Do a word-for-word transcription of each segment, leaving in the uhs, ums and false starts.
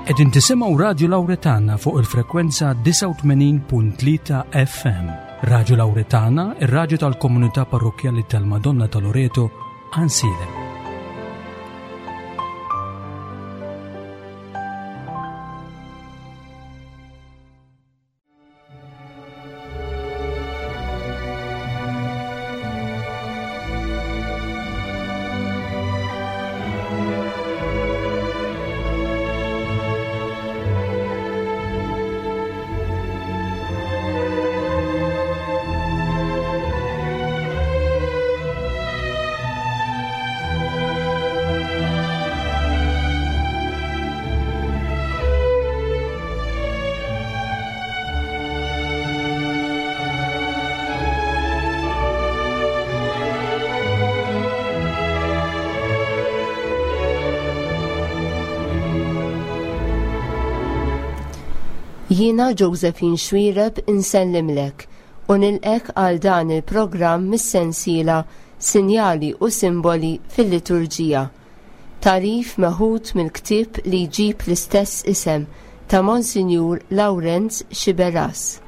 Qegħdin tisimgħu Radju Lawretana fuq il-frekwenza disgħa u tmenin punt tlieta F M. Radju Lawretana, ir-radju tal-komunità parrokkjali tal-Madonna ta' Loreto, Għajnsielem. Jiena Josephine Xuereb insellimlek u nilqek għal dan il-programm mis-sensiela Sinjali u Simboli fil-Liturġija. Tarif meħud mill-ktieb li jġib l-istess isem ta' Monsinjur Lawrenz Sciberras.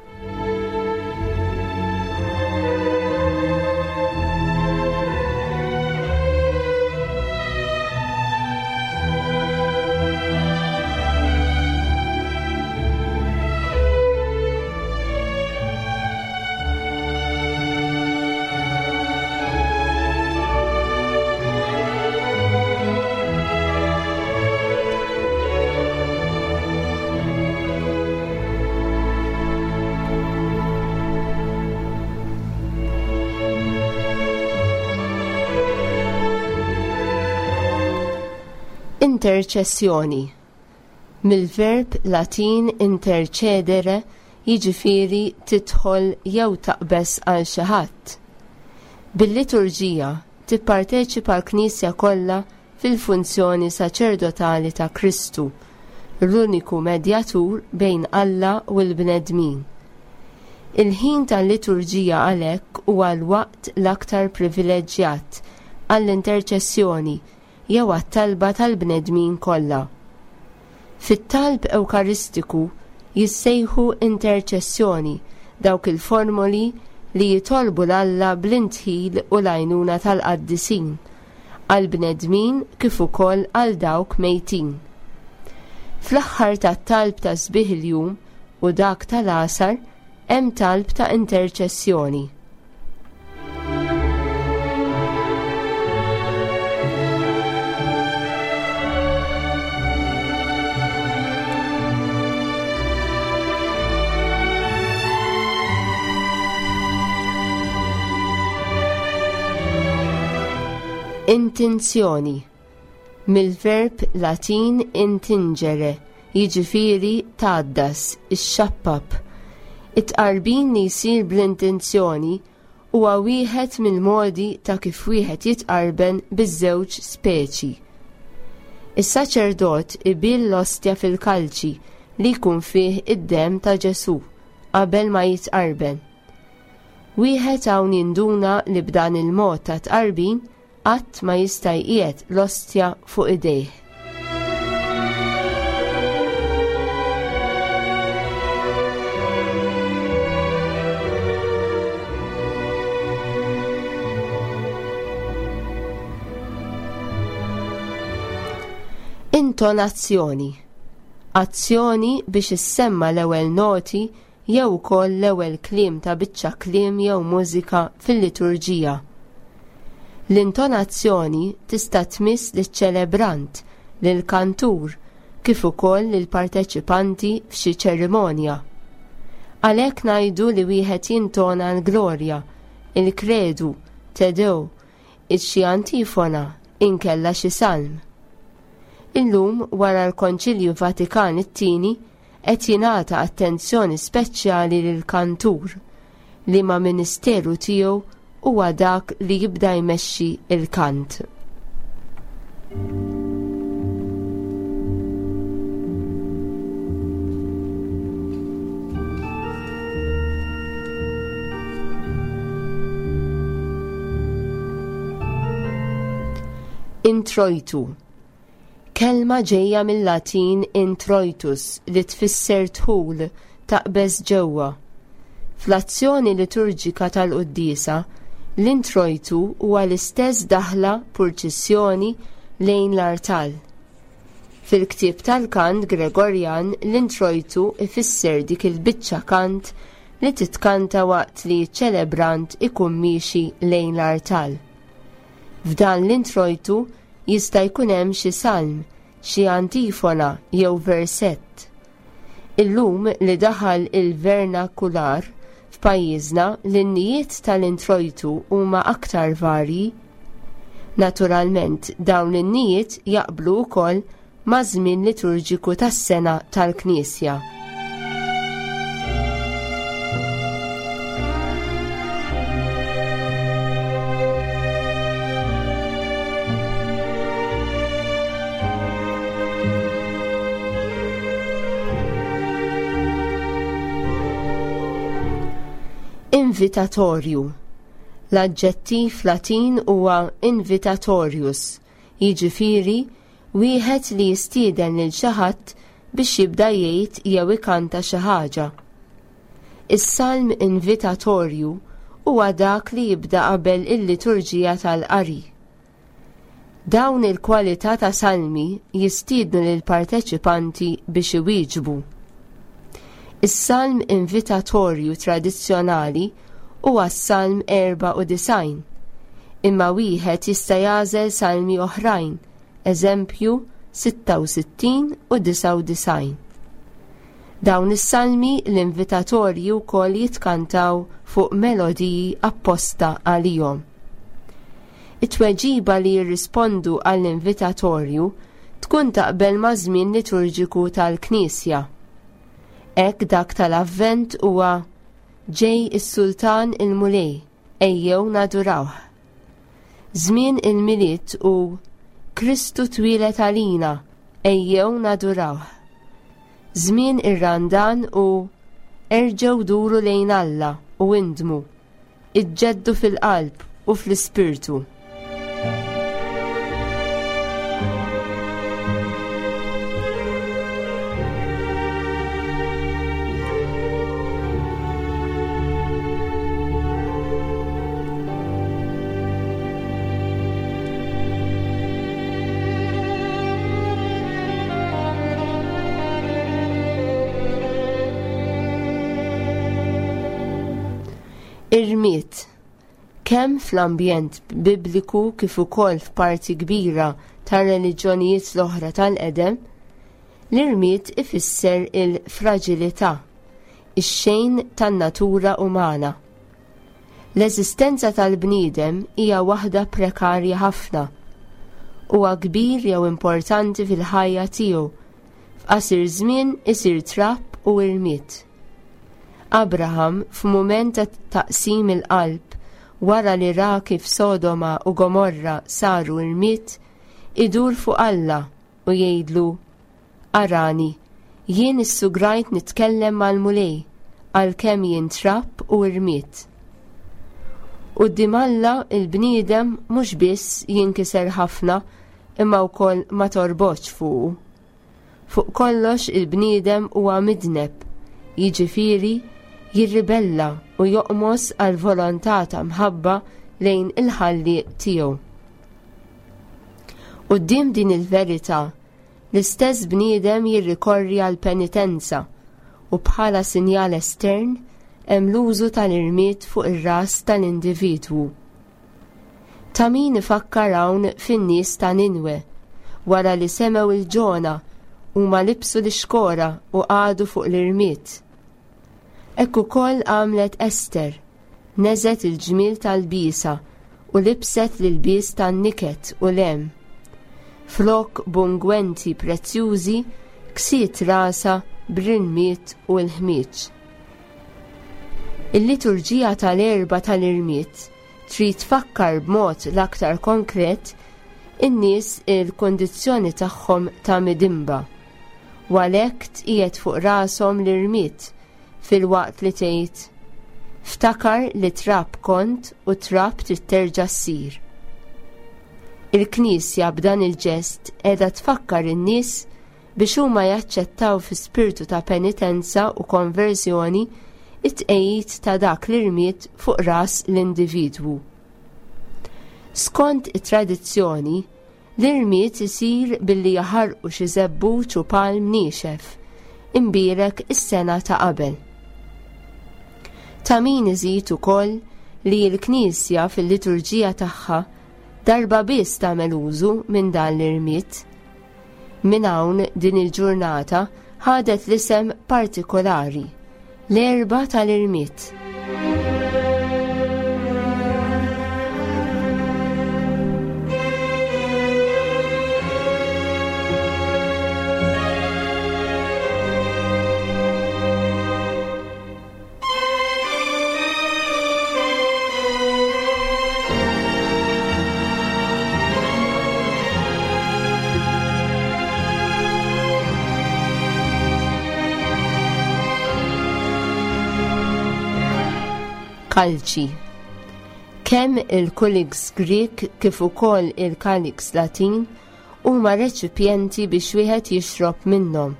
Interċessjoni. Mill-verb Latin intercedere jiġifieri tidħol jew taqbeż għal xi ħadd. Bil-liturġija tipparteċipa l-Knisja kollha fil-funzjoni saċerdotali ta' Kristu, l-uniku medjatur bejn Alla u l-bnedmin. Il-ħin tal-liturġija għalhekk huwa l-waqt l-aktar privileġġjat għall-interċessjoni jew għat-talba tal-bnedmin kollha. Fit-talb Ewkaristiku jissejħu interċessjoni dawk il-formoli li jitolbu l-Alla bl-intħil u l-għajnuna tal-qaddisin, għall-bnedmin kif ukoll għal dawk mejtin. Fl-aħħar tat-talb ta' sbieħ il-jum u dak tal-għasar hemm talb ta' interċessjoni. Intenzjoni. Mill-verb Latin intingere, jiġifieri tgħaddas, ixxappab. It-tqarbin li jsir bl-intenzjoni huwa wieħed mill-modi ta' kif wieħed jitqarben biż-żewġ speċi. Is-saċerdot ibil l-ostja fil-kalċi li jkun fih id-demm ta' Ġesù qabel ma jitqarben. Wieħed hawn jinduna li b'dan il-mod ta' tqarbin qatt ma jista' jqiegħed l-ostja fuq idejh. Intonazzjoni. Azzjoni biex issemma l-ewwel noti jew ukoll l-ewwel kliem ta' biċċa kliem jew mużika fil-liturġija. L-intonazzjoni tista' tmiss liċ-ċelebrant, lill-kantur, kif ukoll lill-parteċipanti f'xi ċerimonja. Għalhekk ngħidu li wieħed jintona l-glorja, il-kredu, Te Deum, xi antifona, inkella xi salm. Illum wara l-Konċilju Vatikan it-tieni qed jingħata attenzjoni speċjali lill-kantur, li ma' ministeru tiegħu huwa dak li jibda jmexxi il-kant. Introjtu. Kelma ġejja mill-Latin introitus li tfisser dħul, taqbeż ġewwa. Fl-azzjoni liturġika tal-quddiesa, l-introjtu huwa l-istess daħla purċissjoni lejn l-artal. Fil-ktieb tal-kant Gregorjan l-introjtu ifisser dik il-biċċa kant li titkanta waqt li ċ-ċelebrant ikun miexi lejn l-artal. F'dan l-introjtu jista' jkun hemm xi salm, xi antifona jew versett. Illum li daħal il-vernakular f'pajjiżna l-innijiet tal-introjtu huma aktar varji. Naturalment dawn l-innijiet jaqblu wkoll maż-żmien liturġiku tas-sena tal-Knisja. Invitatorju. L-aġġettiv Latin huwa invitatorius, jiġifieri wieħed li jistieden lil xi ħadd biex jibda jgħid jew ikanta xi ħaġa. Is-salm invitatorju huwa dak li jibda qabel il-liturġija tal-qari. Dawn il-kwalità ta' salmi jistiednu lill-parteċipanti biex iwieġbu. Is-salm invitatorju tradizzjonali huwa s-salm erba' u disgħin, imma wieħed jista' jagħżel salmi oħrajn, eżempju sitta u sittin u disgħa u disgħin. Dawn is-salmi l-invitatorji wkoll jitkantaw fuq melodiji apposta għalihom. It-tweġiba li jirrispondu għall-invitatorju tkun taqbel ma' żmien liturġiku tal-Knisja. Hekk dak tal-Avvent huwa ġej is-Sultan il-Mulej, ejjew nadurawh. Żmien il-Milied hu Kristu twieled għalina, ejjew nadurawh. Żmien ir-Randan hu erġgħu duru lejn Alla u indmu, iġġeddu fil-qalb u fl-ispirtu. Irmied. Kemm fl-ambjent bibliku kif ukoll f'parti kbira tar-reliġjonijiet l-oħra tal-qedem, l-irmied ifisser il-fraġilità, ix-xejn tan-natura umana. L-eżistenza tal-bniedem hija waħda prekarja ħafna. Huwa kbir jew importanti fil-ħajja tiegħu, f'qasir żmien isir trab u irmied. Abraham f'mument ta' taqsim il-qalb wara li ra kif Sodoma u Gomorra saru irmied, idur fuq Alla u jgħidlu: Arani, jien issugrajt nitkellem mal-Mulej għalkemm jien trab u irmied. Quddiem Alla il-bniedem mhux biss jinkiser ħafna imma wkoll ma torbotx fuqu. Fuq kollox il-bniedem huwa midneb, jiġifieri jirribella u joqmos għal volontà ta' mħabba lejn il-ħallieq tiegħu. Quddiem din il-verità, l-istess bniedem jirrikorri għal penitenza u bħala sinjal estern hemm l-użu tal-irmied fuq ir-ras tal-individwu. Ta' min ifakkar hawn fin-nies ta' Ninwe, wara li semgħu il-Ġona huma libsu l-ixkora u qagħdu fuq l-irmied. Hekk ukoll għamlet Ester, neżet il-ġmiel tal-bisa u libset l-ilbies tan-niket u lem. Flok b'ungwenti prezzjużi ksiet rasa b'rinmiet u l-ħmieġ. Il-liturġija tal-Erbgħa tal-Irmied trid tfakkar b'mod l-aktar konkret in-nies il-kondizzjoni tagħhom ta' midinba, u għalhekk tqiegħed fuq rashom l-irmied filwaqt li tgħid: Ftakar li trab kont u trab trid terġa' ssir. Il-Knisja b'dan il-ġest qiegħda tfakkar in-nies biex huma jaċċettaw fi spirtu ta' penitenza u konverżjoni it-tqegħid ta' dak l-irmied fuq ras l-individwu. Skont it-tradizzjoni, l-irmied isir billi jaħarqu xi żebbuġ u palm niexef, imbierek is-sena ta' qabel. Ta' min iżid ukoll li l-Knisja fil-liturġija tagħha darba biss tagħmel użu minn dan l-irmied. Minn hawn din il-ġurnata ħadet l-isem partikolari, l-Erbgħa tal-Irmied. Kalċi. Kemm il-kylix Grek kif ukoll il-kalix Latin huma reċipjenti biex wieħed jixrob minnhom.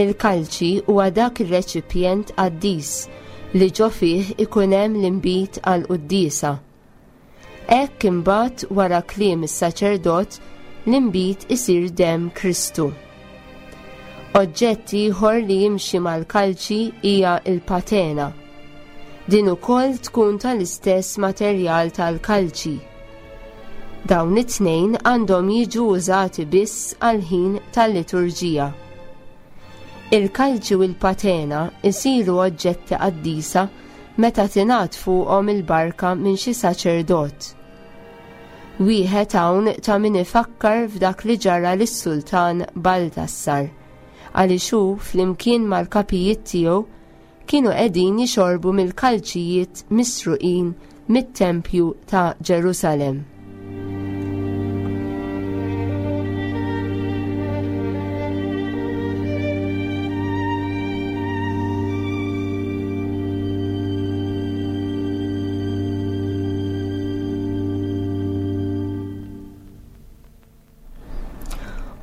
Il-kalċi huwa dak ir-reċipjent qaddis li ġo fih ikun hemm l-inbid għal quddiesa. Hekk imbagħad wara kliem is-saċerdot l-inbid isir demm Kristu. Oġġett ieħor li jimxi mal-kalċi hija l-patena. Din ukoll tkun tal-istess materjal tal-kalċi. Dawn it-tnejn għandhom jiġu użati biss għal-ħin tal-liturġija. Il-kalċi u l-patena isiru oġġetti qaddisa meta tingħad fuqhom il-barka minn xi saċerdot. Wieħed hawn ta' min ifakkar f'dak li ġara lis-Sultan Baltassar, għaliex hu flimkien mal-kapijiet tiegħu kienu qegħdin jixorbu mill-kalċijiet misruqin mit-tempju ta' Ġerusalemm.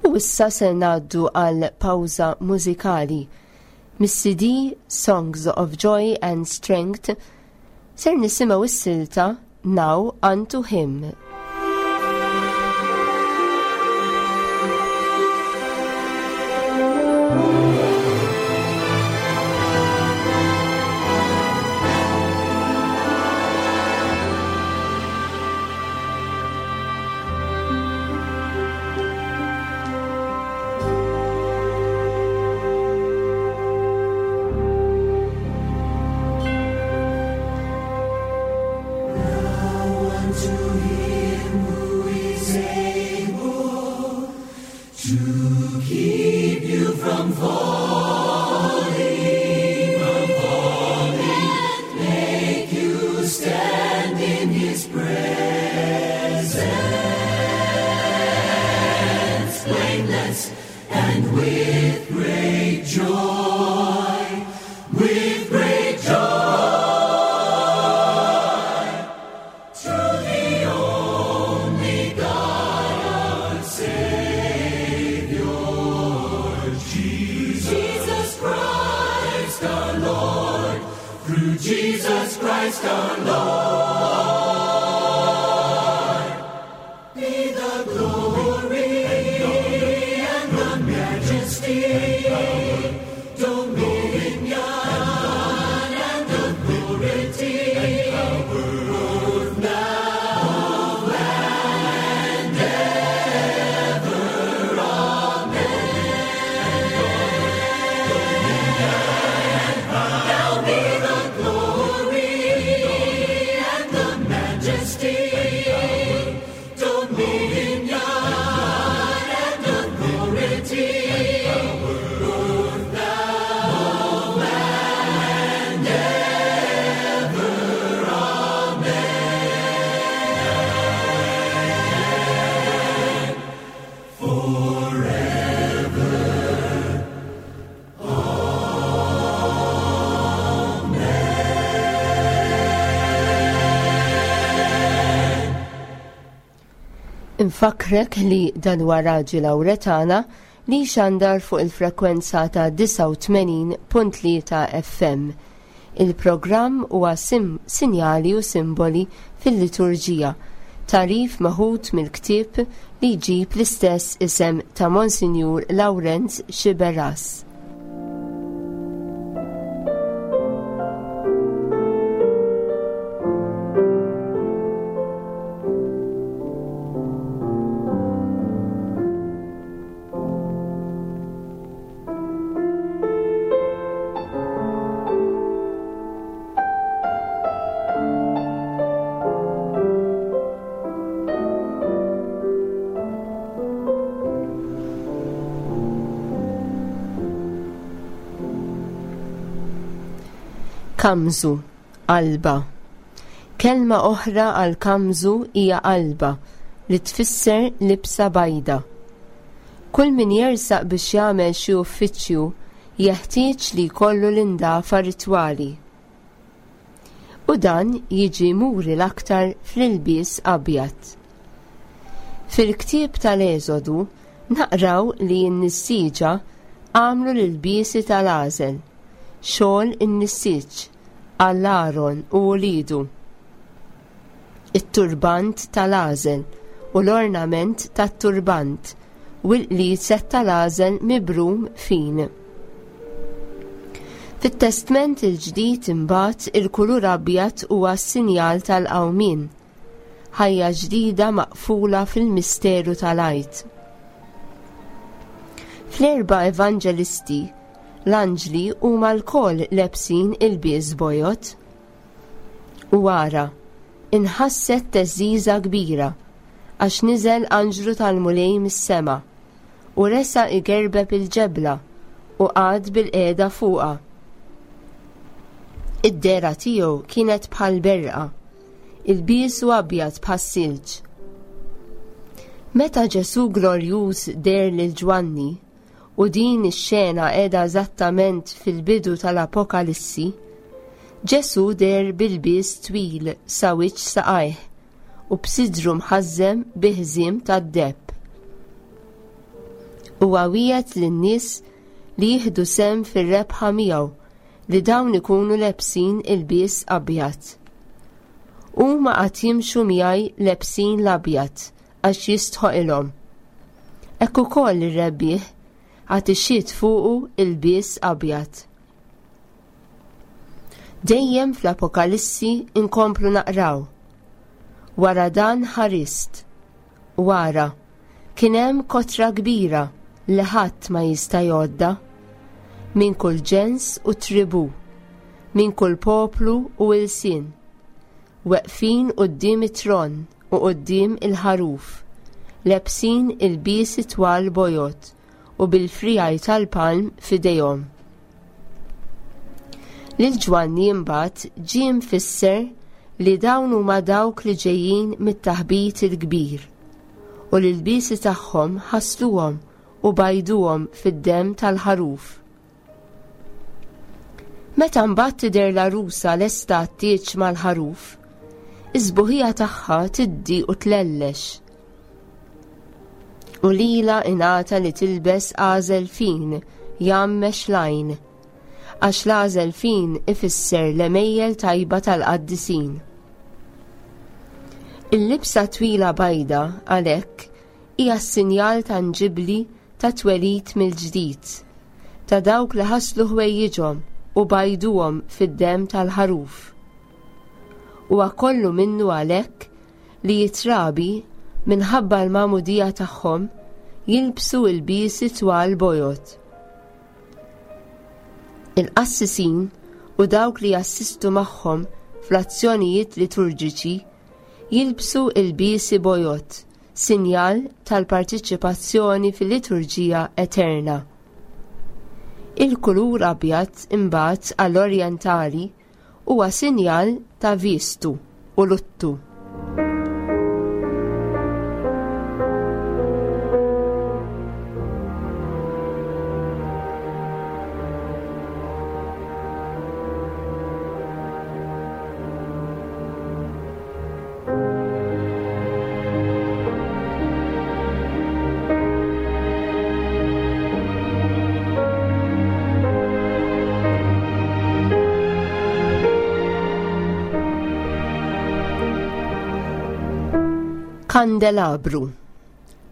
U issa se ngħaddu għal pawża mużikali. Mis-C D Songs of Joy and Strength ser nisimgħu s-silta Now Unto Him. Dominion and authority. Infakkrek li dan huwa Radju Lawretana li xandar fuq il-frekwenza ta' disgħa u tmenin punt tlieta F M. Il-programm huwa sim-, sinjali u simboli fil-liturġija, tagħrif meħud mill-ktieb li jġib l-istess isem ta' Monsinjur Lawrenz Sciberras. Kamżu, qalba. Kelma oħra għal kamżu hija qalba, li tfisser libsa bajda. Kull min jersaq biex jagħmel xi uffiċċju jeħtieġ li jkollu l-indafa ritwali. U dan jiġi muri l-aktar fl-ilbies abjad. Fil-ktieb tal-Eżodu naqraw li n-nissieġa għamlu l-ilbiesi tal-għażel, xogħol in-nissieġ għal Aaron u wliedu, it-turbant tal-għażel u l-ornament tat-turbant u l-qliset tal-għażel mibrum fin. Fit-Testment il-Ġdid imbagħad il-kulur abjad huwa s-sinjal tal-qawmien, ħajja ġdida maqfula fil-misteru tal-Għid. Fl-erba' evanġelisti, l-anġli huma lkoll lebsin ilbies bojod. U ara, inħasset teżżiża kbira, għax niżel anġlu tal-Mulej mis-sema, u resa igerbeb il-ġebla u qagħad bil-qiegħda fuqha. Id-dehra tiegħu kienet bħal berqa, ilbiesu abjad bħas-silġ. Meta Ġesù glorjuż deher lil Ġwanni, u din ix-xena qiegħda eżattament fil-bidu tal-Apokalissi, Ġesù deher bil-bies twil sa wiċċ saqajh u b'sidru mħażżem bi ħżiem tad-deheb. Huwa wiegħed lin-nies li jieħdu sehem fir-rebħa miegħu li dawn ikunu lebsin il-bies abjad. Huma qatt jimxu miegħi lebsin l-abjad għax jistħoqilhom. Hekk ukoll ir-rebbieħ għad ixxiet fuqu il-bies abjad. Dejjem fl-Apokalissi inkomplu naqraw. Wara dan ħarist. Wara, kien hemm kotra kbira li ħadd ma jista' jgħodda, minn kull ġens u tribu, minn kull poplu u ilsien, weqfin quddiem it-tron u quddiem il-ħaruf, lebsin il-biesi twal bojod u bil-frijaj tal-palm f'idejhom. Lil Ġwanni imbagħad ġie mfisser li dawn huma dawk li ġejjin mit-taħbit il-kbir u li l-biesi tagħhom ħasluhom u bajduhom fid-demm tal-ħaruf. Meta mbagħad tidher l-għarusa lesta għat-tieġ mal-ħaruf, is-sbuħija tagħha tiddi u tlellex. U lila ingħata li tilbes għażel fin jgħammex l-għajn, għax l-għażel fin ifisser l-għemejjel tajba tal-qaddisin. Il-libsa twila bajda għalhekk hija s-sinjal tanġibli ta' twelid mill-ġdid, ta' dawk li ħaslu ħwejjiġhom u bajduhom fid-demm tal-ħaruf. Huwa kollu minnu għalhekk li jitrabi minħabba l-magħmudija tagħhom jilbsu l-biesi twal bojod. Il-qassisin u dawk li jassistu magħhom fl-azzjonijiet liturġiċi jilbsu l-biesi bojod, sinjal tal-partiċipazzjoni fil-liturġija eterna. Il-kulur abjad imbagħad għall-orjentali huwa sinjal ta' vistu u luttu. Kandelabru.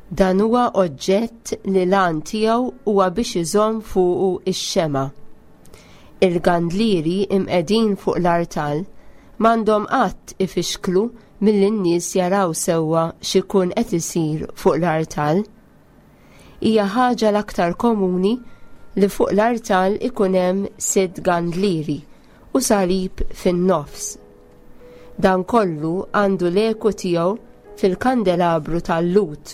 Dan huwa oġġett li l-għan tiegħu huwa biex iżomm fuqu ix-xema. Il-gandlieri imqegħdin fuq l-artal m'għandhom qatt ifixklu milli n-nies jaraw sewwa x'ikun qed isir fuq l-artal. Hija ħaġa l-aktar komuni li fuq l-artal ikun hemm sitt gandlieri u salib fin-nofs. Dan kollu għandu l-eku tiegħu fil-kandelabru tal-Lhud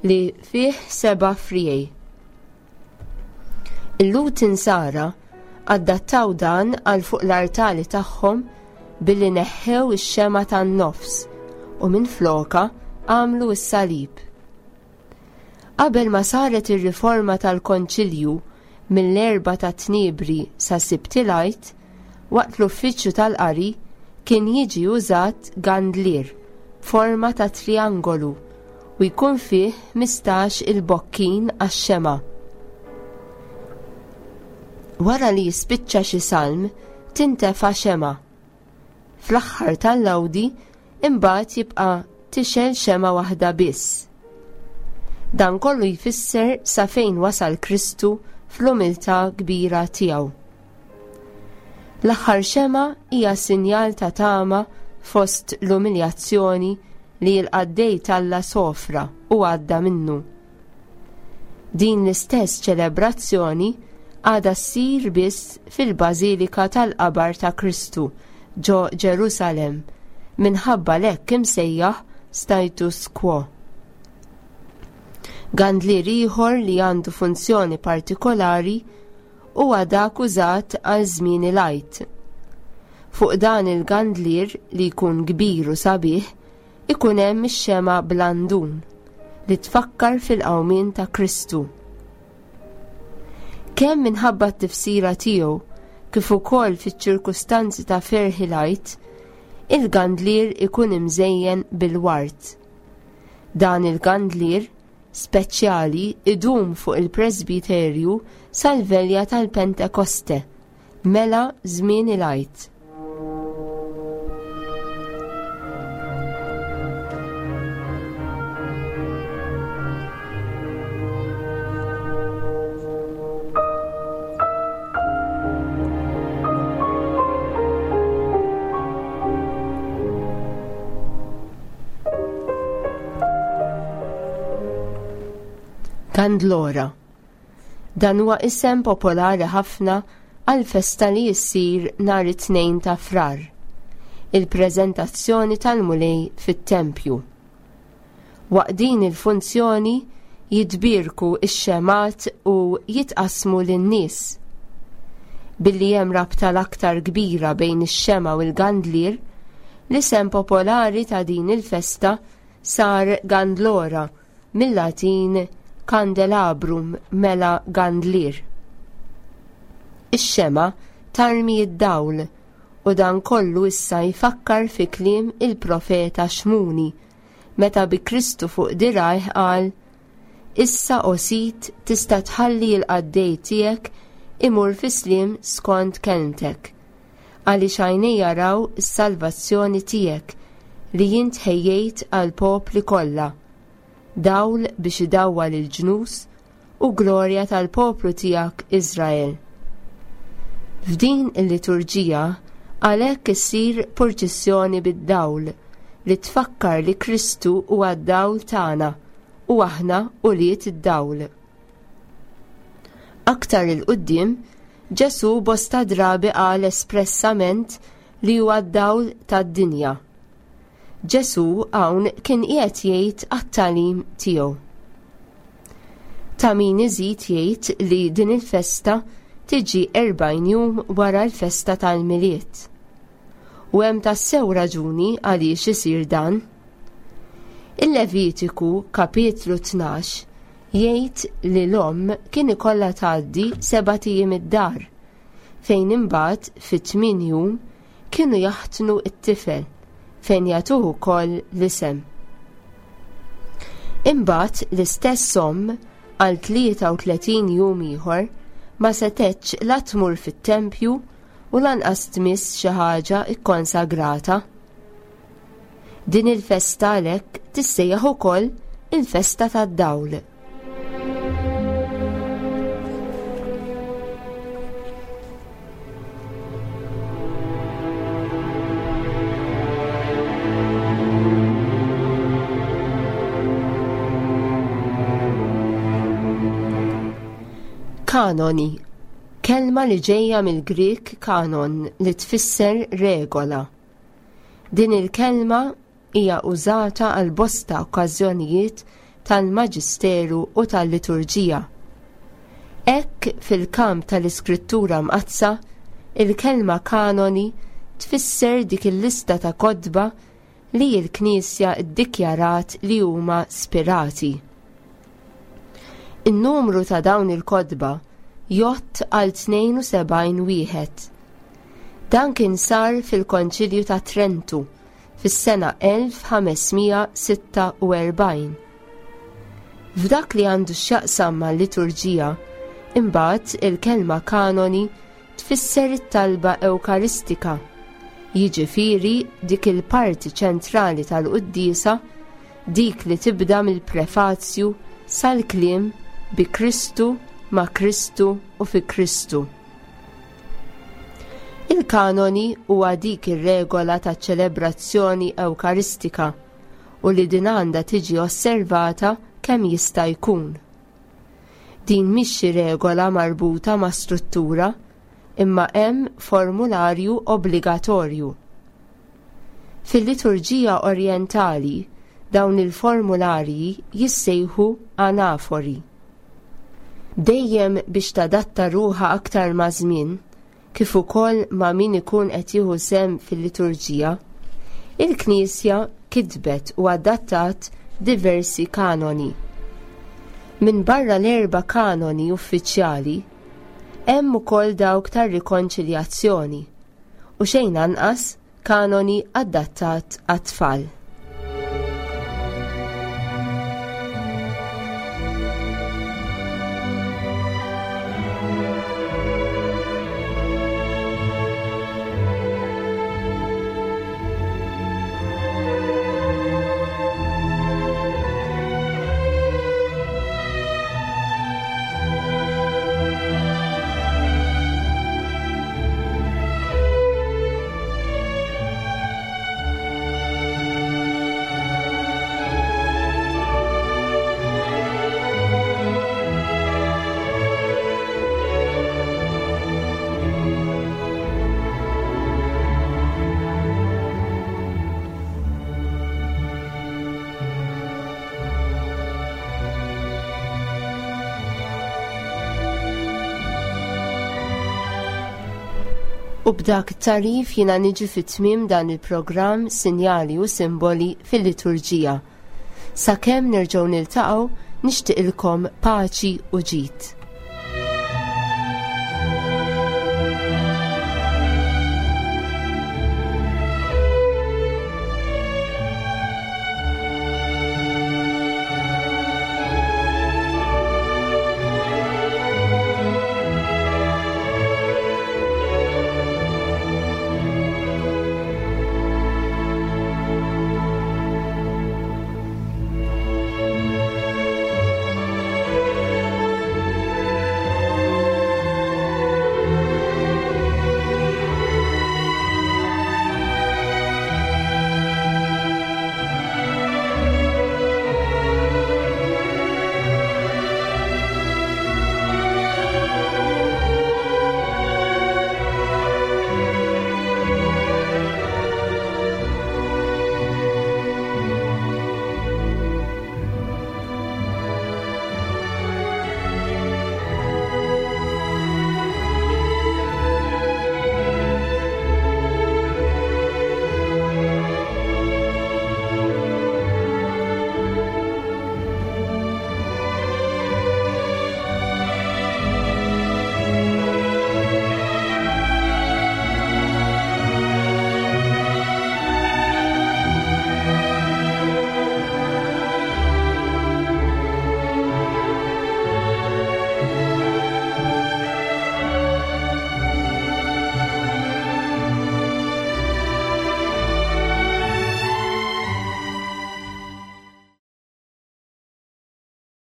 li fih seba' friegħi. Il-Lhud insara adattaw dan għal fuq l-artali tagħhom billi neħħew ix-xema tan-nofs u minflokha għamlu s-salib. Qabel ma saret ir-riforma tal-Konċilju mill-Erbgħa ta' Tniebri sa Sibt il-Għid, waqt l-uffiċċju tal-qari kien jiġi użat gandlier b'forma ta' triangolu u jkun fih ħmistax il-bokkin għax-xema. Wara li jispiċċa xi salm, tintefa' xema. Fl-aħħar tal-lawdi imbagħad jibqa' tixgħel xema waħda biss. Dan kollu jfisser sa fejn wasal Kristu fl-umiltà kbira tiegħu. L-aħħar xema hija sinjal ta' tama fost l-umiljazzjoni li l-qaddej t'Alla sofra u għadda minnu. Din l-istess ċelebrazzjoni għadha ssir biss fil-Bażilika tal-Qabar ta' Kristu ġo Ġerusalem minħabba l-hekk imsejjaħ status quo. Gandlier ieħor li għandu funzjoni partikolari huwa dak użat għal żmien il-Għid. Fuq dan il-gandlier li jkun kbir u sabiħ ikun hemm ix-xema blandun li tfakkar fil-qawmien ta' Kristu. Kemm minħabba t-tifsira tiegħu kif ukoll fiċ-ċirkustanzi ta' ferħ il-Għid, il-gandlier ikun imżejjen bil-ward. Dan il-gandlier speċjali idum fuq il-presbiterju sal-velja tal-Pentekoste, mela żmien il-Għid. Gandlora. Dan huwa isem popolari ħafna għal festa li jissir nhar it-tnejn ta' Frar, il-preżentazzjoni tal-Mulej fit-tempju. Waqt din il-funzjoni jitbierku x-xemat u jitqasmu lin-nies. Billi hemm rabta l-aktar kbira bejn ix-xema u l-gandlier, l-isem popolari ta' din il-festa sar Gandlora mill-Latin candelabrum mela gandlier. Ix-xema tarmi id-dawl u dan kollu issa jfakkar fi kliem il-profeta Xmuni meta bi Kristu fuq dirajh qal: Issa o Sid tista' tħalli l-qaddej tiegħek imur fi sliem skont kelmtek, għaliex għajnejja raw is-salvazzjoni tiegħek li int ħejjejt għall-popli kollha, dawl biex idawwal il-ġnus u glorja tal-poplu tiegħek Iżrael. F'din il-liturġija għalhekk issir purċissjoni bid-dawl li tfakkar li Kristu huwa d-dawl tagħna u aħna ulied id-dawl. Aktar il-quddiem, Ġesù bosta drabi qal espressament li huwa d-dawl tad-dinja. Ġesù hawn kien qiegħed jgħid għat-tagħlim tiegħu. Ta' min iżid jgħid li din il-festa tiġi erbgħin jum wara l-festa tal-Milied. U hemm tassew raġuni għaliex isir dan. Il-Levitiku kapitlu tnax jgħid li l-omm kien ikollha tgħaddi sebat ijiem id-dar, fejn imbagħad fit-tmien jum kienu jaħtnu t-tifel fejn jagħtuh ukoll l-isem. Imbagħad l-istess omm għal tlieta u tletin jum ieħor ma setgħetx la tmur fit-tempju u lanqas tmiss xi ħaġa kkonsagrata. Din il-festa għalhekk Tissejjaħ ukoll il-festa tad-dawl. Kanoni, kelma li ġejja mill-Grieg kanon li tfisser regola. Din il-kelma hija użata għal bosta okkażjonijiet tal-Maġisteru u tal-Liturġija. Hekk fil-kamp tal-Iskrittura Mqaddsa, il-kelma kanoni tfisser dik il-lista ta' kotba li l-Knisja ddikjarat li huma spirati. In-numru ta' dawn il-kotba jgħodd għal tnejn u sebgħin wieħed. Dan kien sar fil-Konċilju ta' Trentu fis-sena elf ħamesmija sitta u erbgħin. F'dak li għandu x'jaqsam mal-liturġija, imbagħad il-kelma kanoni tfisser it-talba ewkaristika, jiġifieri dik il-parti ċentrali tal-quddiesa, dik li tibda mill-prefazju sal-kliem bi Kristu, ma' Kristu u fi Kristu. Il-kanoni huwa dik ir-regola ta' ċelebrazzjoni ewkaristika u li din għandha tiġi osservata kemm jista' jkun. Din mhix xi regola marbuta ma' struttura, imma hemm formularju obbligatorju. Fil-liturġija orjentali, dawn il-formularji jissejħu anafori. Dejjem biex tadatta ruħha aktar ma' żmien, kif ukoll ma' min ikun qed jieħu sehem fil-liturġija, il-Knisja kitbet u adattat diversi kanoni. Min barra l-erba' kanoni uffiċjali, hemm ukoll dawk tar-rikonċiljazzjoni u xejn anqas kanoni adattat għat-tfal. U b'dak it-tarif jiena niġi fit-tmiem dan il-programm Sinjali u Simboli fil-Liturġija. Sakemm nerġgħu niltaqgħu, nixtieqilkom paċi u ġid.